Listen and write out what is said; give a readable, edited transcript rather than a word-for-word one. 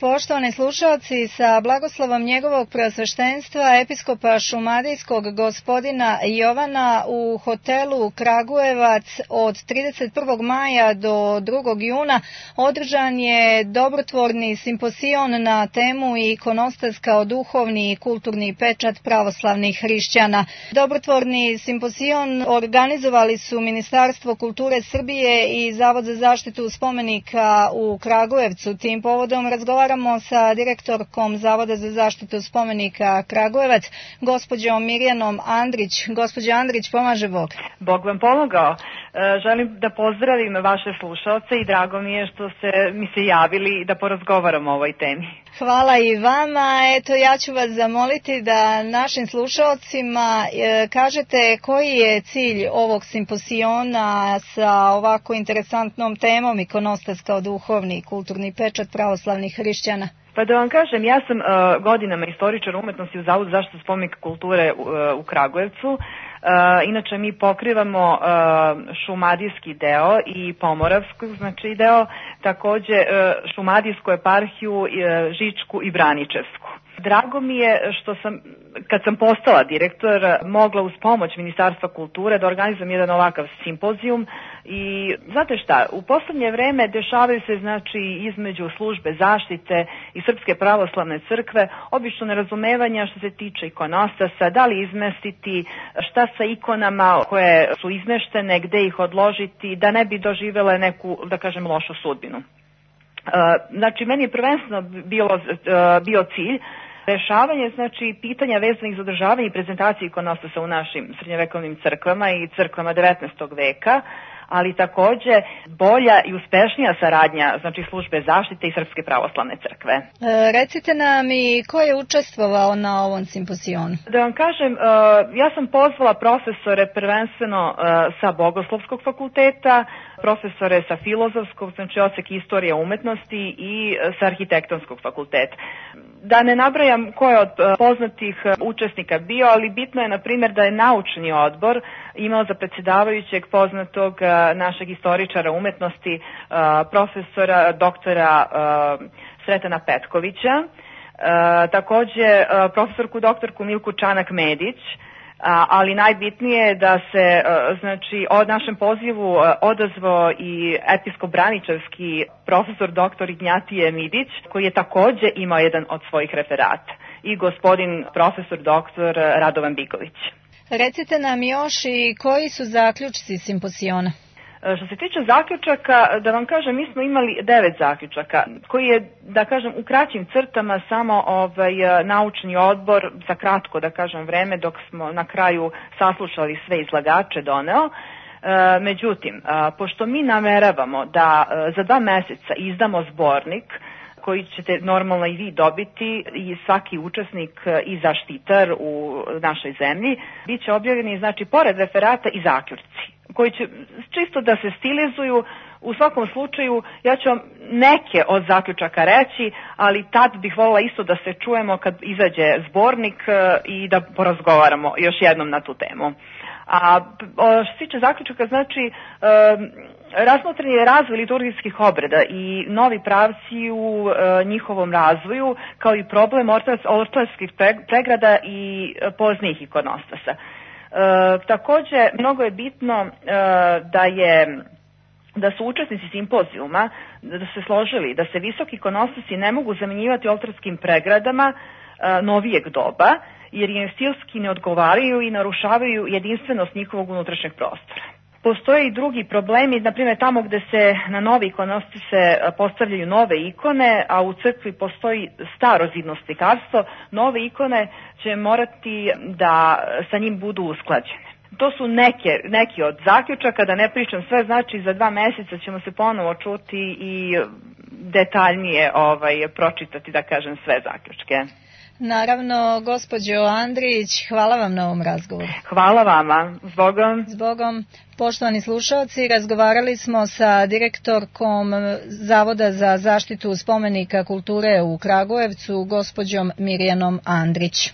Poštovani slušalci, sa blagoslovom njegovog preosveštenstva episkopa šumadijskog gospodina Jovana u hotelu Kragujevac od 31. maja do 2. juna održan je dobrotvorni simpozion na temu ikonostas kao duhovni i kulturni pečat pravoslavnih hrišćana. Dobrotvorni simpozion organizovali su Ministarstvo kulture Srbije i Zavod za zaštitu spomenika u Kragujevcu. Tim povodom razgovaramo sa direktorkom Zavoda za zaštitu spomenika Kragujevac, gospođom Mirjanom Andrić. Gospođo Andrić, pomaže Bog. Bog vam pomogao. Želim da pozdravim vaše slušalce i drago mi je što mi se javili da porazgovaramo o ovoj temi. Hvala i vama. Eto, ja ću vas zamoliti da našim slušalcima kažete koji je cilj ovog simpoziona sa ovako interesantnom temom ikonostas kao duhovni i kulturni pečat pravoslavnih hrišćana. Pa da vam kažem, ja sam godinama istoričar umetnosti u Zavodu za zaštitu spomenika kulture u Kragujevcu. Inače mi pokrivamo šumadijski deo i pomoravski deo, takođe šumadijsku eparhiju, Žičku i Braničevsku. Drago mi je što sam, kad sam postala direktor, mogla uz pomoć Ministarstva kulture da organizujem jedan ovakav simpozijum i znate šta, u poslednje vreme dešavaju se između službe zaštite i Srpske pravoslavne crkve obično nerazumevanja što se tiče ikonostasa, da li izmestiti, šta sa ikonama koje su izmeštene, gde ih odložiti, da ne bi doživele neku, da kažem, lošu sudbinu. Meni je prvenstveno bio cilj rešavanje, pitanja vezanih za održavanje i prezentaciju ikonostasa u našim srednjovekovnim crkvama i crkvama 19. veka, ali takođe bolja i uspešnija saradnja, službe zaštite i Srpske pravoslavne crkve. Recite nam i ko je učestvovao na ovom simpozionu? Da vam kažem, ja sam pozvala profesore prvenstveno sa Bogoslovskog fakulteta, profesore sa Filozofskog, odsek istorije umetnosti i sa Arhitektonskog fakulteta. Da ne nabrajam ko je od poznatih učesnika bio, ali bitno je, na primjer, da je naučni odbor imao za predsjedavajućeg poznatog našeg istoričara umetnosti, profesora doktora Sretana Petkovića, takođe profesorku doktorku Milku Čanak-Medić, ali najbitnije je da se o našem pozivu odazvao i episkop Braničevski profesor doktor Ignjatije Midić, koji je takođe imao jedan od svojih referata, i gospodin profesor doktor Radovan Bigović. Recite nam još i koji su zaključci simpoziona? Što se tiče zaključaka, da vam kažem, mi smo imali 9 zaključaka, koji je, da kažem, u kraćim crtama samo naučni odbor za kratko, da kažem, vreme dok smo na kraju saslušali sve izlagače doneo. Međutim, pošto mi nameravamo da za 2 meseca izdamo zbornik koji ćete normalno i vi dobiti i svaki učesnik i zaštitar u našoj zemlji, bit će objavljeni, pored referata i zaključci, koji će čisto da se stilizuju. U svakom slučaju, ja ću vam neke od zaključaka reći, ali tad bih voljela isto da se čujemo kad izađe zbornik i da porazgovaramo još jednom na tu temu. A što se tiče zaključaka, razmotren je razvoj liturgijskih obreda i novi pravci u njihovom razvoju, kao i problem ortodoskih pregrada i poznijih ikonostasa. Takođe, mnogo je bitno da su učesnici simpozijuma da se složili da se visoki ikonostasi ne mogu zamenjivati oltarskim pregradama novijeg doba, jer im stilski ne odgovaraju i narušavaju jedinstvenost njihovog unutrašnjeg prostora. Postoje i drugi problemi, na primjer tamo gde se na nove ikonostase postavljaju nove ikone, a u crkvi postoji starozidno slikarstvo, nove ikone će morati da sa njim budu usklađene. To su neki od zaključaka, da ne pričam sve, za 2 meseca ćemo se ponovo čuti i detaljnije pročitati, da kažem, sve zaključke. Naravno, gospođo Andrić, hvala vam na ovom razgovoru. Hvala vama. Zbogom. Zbogom. Poštovani slušalci, razgovarali smo sa direktorkom Zavoda za zaštitu spomenika kulture u Kragujevcu, gospođom Mirjanom Andrić.